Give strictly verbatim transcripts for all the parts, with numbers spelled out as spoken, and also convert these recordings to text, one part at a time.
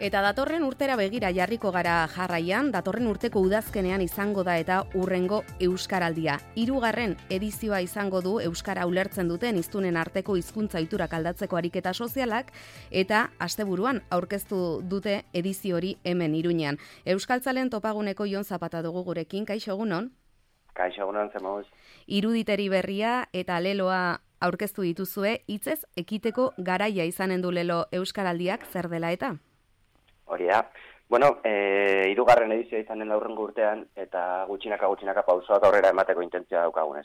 Eta datorren urtera begira jarriko gara jarraian, datorren urteko udazkenean izango da eta urrengo Euskaraldia. Hirugarren edizioa izango du Euskara ulertzen duten hiztunen arteko hizkuntza ohiturak aldatzeko ariketa sozialak, eta asteburuan aurkeztu dute edizio hori hemen Iruñean. Euskaltzalen topaguneko Jon Zapata dugu gurekin, kaixo egunon? Kaixo egunon, zemuz. Iruditeri berria eta leloa aurkeztu dituzue, hitzez ekiteko garaia izanen du lelo Euskaraldiak, zer dela eta? Hori da. Bueno, e, hirugarren edizioa izanen aurrengo urtean, eta gutxinaka gutxinaka pausoak aurrera emateko intentzioa daukagunez.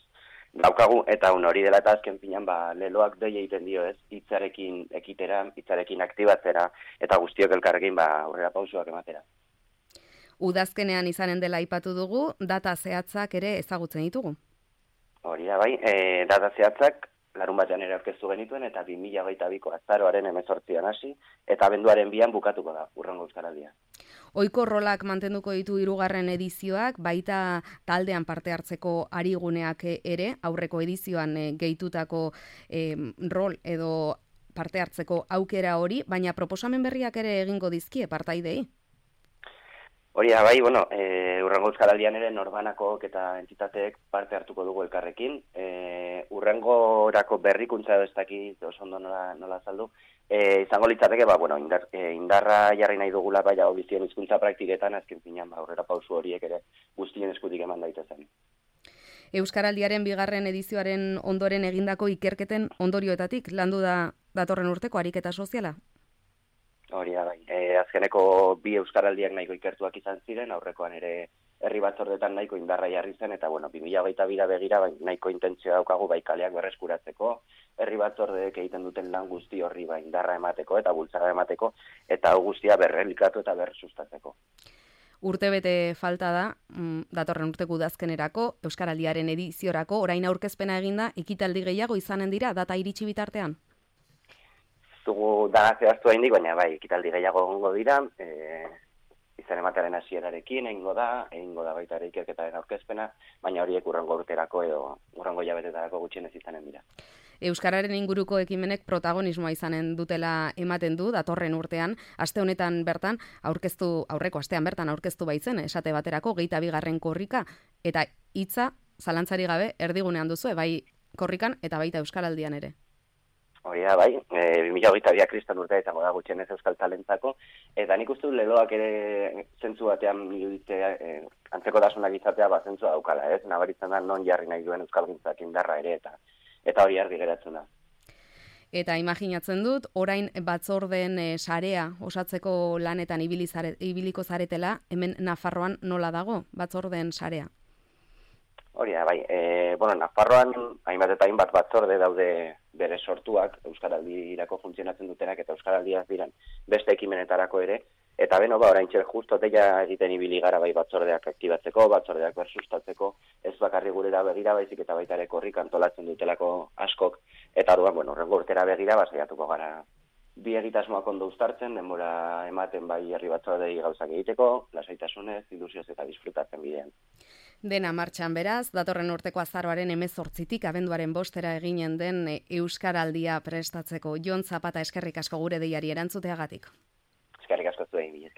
Daukagu, eta un hori dela eta azken finan, ba, leloak dei egiten dio ez, hitzarekin ekitera, hitzarekin aktibatzera, eta guztiok elkarrekin ba, aurrera pausoak ematera. Udazkenean izanen dela aipatu dugu, data zehatzak ere ezagutzen ditugu. Hori da, bai, e, data zehatzak, larun batean ere aurkeztu genituen, eta bi mila hogeita biko azaroaren hemezortzian hasi, eta abenduaren bian bukatuko da, urrengo Euskaraldia. Ohiko rolak mantenduko ditu hirugarren edizioak, baita taldean parte hartzeko ariguneak ere, aurreko edizioan e, gehitutako e, rol edo parte hartzeko aukera hori, baina proposamen berriak ere egingo dizkie partaidei? Hori da, bai, bueno, e, urrengo Euskaraldian ere norbanakok eta entitateek parte hartuko dugu elkarrekin. E, urrengorako berrikuntza edo ez dakit oso ondo nola, nola azaldu. E, izango litzateke, ba, bueno, indar, e, indarra jarri nahi dugula bai bizien hizkuntza praktiketan, azken finean, ba, aurrera pausu horiek ere guztien eskutik eman daitezen. Euskaraldiaren bigarren edizioaren ondoren egindako ikerketen ondorioetatik landu da datorren urteko ariketa soziala? Hori da, bai. E, azkeneko bi Euskaraldiak nahiko ikertuak izan ziren, aurrekoan ere herri batzordetan nahiko indarra jarri zen, eta bueno, bi mila hogeita bira begira bai, nahiko intentzioa daukagu bai kaleak berreskuratzeko, herri batzordeek egiten duten lan guzti horri bai indarra emateko eta bultzada emateko, eta hau guztia berrelikatu eta bersustatzeko. Urtebete falta da, datorren urteko udazkenerako, Euskaraldiaren ediziorako, orain aurkezpena eginda, ekitaldi gehiago izanen dira, data iritsi bitartean? Dugu dana zehaztu haindik, baina bai, ekitaldi gehiago egongo dira, e, izan ematearen hasierarekin egingo da, egingo da baita ere ikerketaren aurkezpena, baina horiek urrengo urterako edo urrengo jabetetarako gutxienez izanen dira. Euskararen inguruko ekimenek protagonismoa izanen dutela ematen du, datorren urtean, aste honetan bertan, aurkeztu, aurreko astean bertan aurkeztu baitzen, esate baterako, geita bigarren korrika, eta hitza, zalantzari gabe, erdigunean duzu, bai korrikan eta baita Euskaraldian ere. Hori da, bai, e, bi mila hogeita biak kriston urtea izango da gutxienez euskal talentzako, eta nik uste dut leloak ere zentzu batean iruditzea, e, antzekotasunak izatea bat zentzua daukala, ez? Nabaritzen da non jarri nahi duen euskalgintzak indarra ere, eta eta hori argi geratzen da. Eta imaginatzen dut, orain batzordeen e, sarea osatzeko lanetan ibili zare, ibiliko zaretela, hemen Nafarroan nola dago batzordeen sarea? Hori da, bai, e, bueno, Nafarroan hainbat eta hainbat batzorde daude bere sortuak, Euskaraldirako funtzionatzen dutenak eta Euskaraldiak diran beste ekimenetarako ere, eta beno, ba, orain txer justo deia egiten ibili gara bai batzordeak aktibatzeko, batzordeak bersustatzeko, ez bakarri gurera begira baizik eta baita ere korrik antolatzen dutelako askok, eta orduan, bueno, horrengo urtera begira, basaiatuko gara bi egitasmoak ondo uztartzen, denbora ematen bai herri batzordei gauzak egiteko, lasaitasunez, ilusioz eta disfrutatzen bidean. Dena martxan beraz, datorren urteko azaroaren hemezortzitik abenduaren bostera eginen den Euskaraldia prestatzeko. Jon Zapata, eskerrik asko gure deiari erantzuteagatik. Eskerrik asko zuei,